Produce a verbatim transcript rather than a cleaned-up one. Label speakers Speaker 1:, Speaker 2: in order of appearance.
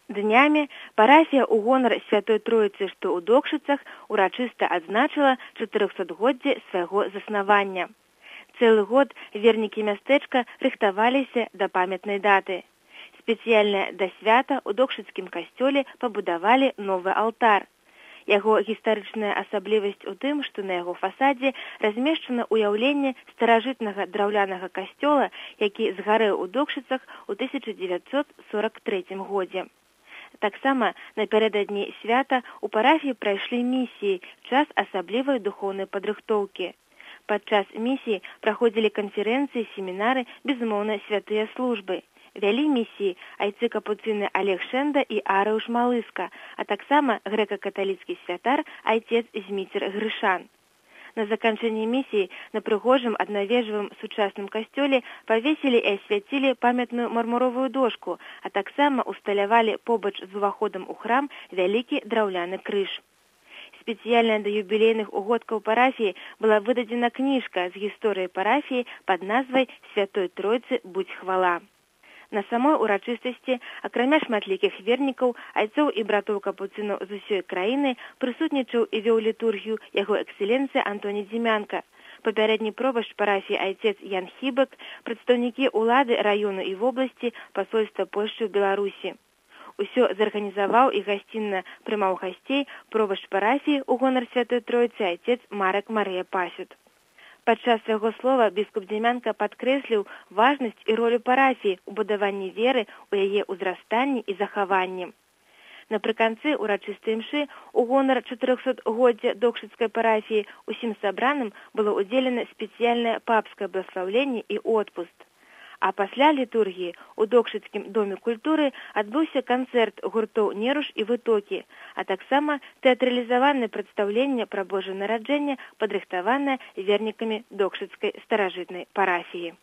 Speaker 1: Днямі парафія ў гонар Святой Троіцы, што ў Докшыцах, урачыста адзначыла чатырохсотгоддзе свайго заснавання. Цэлы год вернікі мястэчка рыхтаваліся да памятнай даты. Спецыяльна да свята ў Докшыцкім касцёле пабудавалі новы алтар. Яго гістарычная асаблівасць у тым, што на яго фасадзе размешчана ўяўленне старажытнага драўлянага касцёла, які згарэў у Докшыцах у тысяча дзевяцьсот сорак трэцім годзе. Таксама напярэдадні свята ў парафіі прайшлі місіі, час асаблівай духоўнай падрыхтоўкі. Падчас місіі праходзілі канферэнцыі, семінары, безумоўна, святыя службы. Вялі місіі айцы капуцыны Олег Шэнда і Арыуш Малыска, а таксама грэка-каталіцкі святар айцец Зміцер Грышан. На заканчэнні місіі на прыгожым аднавежавым сучасным касцёле павесілі і асвяцілі памятную мармуровую дошку, а таксама усталявалі побач з уваходам у храм вялікі драўляны крыж. Спецыяльна да юбілейных угодкаў парафіі была выдадзена кніжка з гісторыяй парафіі пад назвай «Святой Тройцы будь хвала». На самой урачыстасці, акрамя шматлікіх вернікаў, айцоў і братоў капуцынаў з усёй краіны, прысутнічаў і вёў літургію яго экселенцыя Антоній Дзімянка. Папярэдні пробашч парафіі айцец Ян Хібак, прадстаўнікі ўлады раёну і вобласці, пасольства Польшчы ў Беларусі. Усё зарганізаваў і гасцінна прымаў гасцей пробашч парафіі ў гонар Святой Тройцы айцец Марак Марыя Пасют. Падчас свайго слова біскуп Дзімянка падкрэсліў важнасць і ролю парафіі ў будаванні веры, у яе ўзрастанні і захаванні. Напрыканцы урачыстай імшы ў гонар чатырохсотгоддзя Докшыцкай парафіі усім сабраным было ўдзелена спецыяльнае папскае бласлаўленне і отпуск. А пасля літургіі ў Докшыцкім доме культуры адбыўся канцэрт гуртоў «Неруш» і «Вытокі», а таксама тэатралізаванае прадстаўленне пра Божае нараджэнне, падрыхтаванае вернікамі Докшыцкай старажытнай парафіі.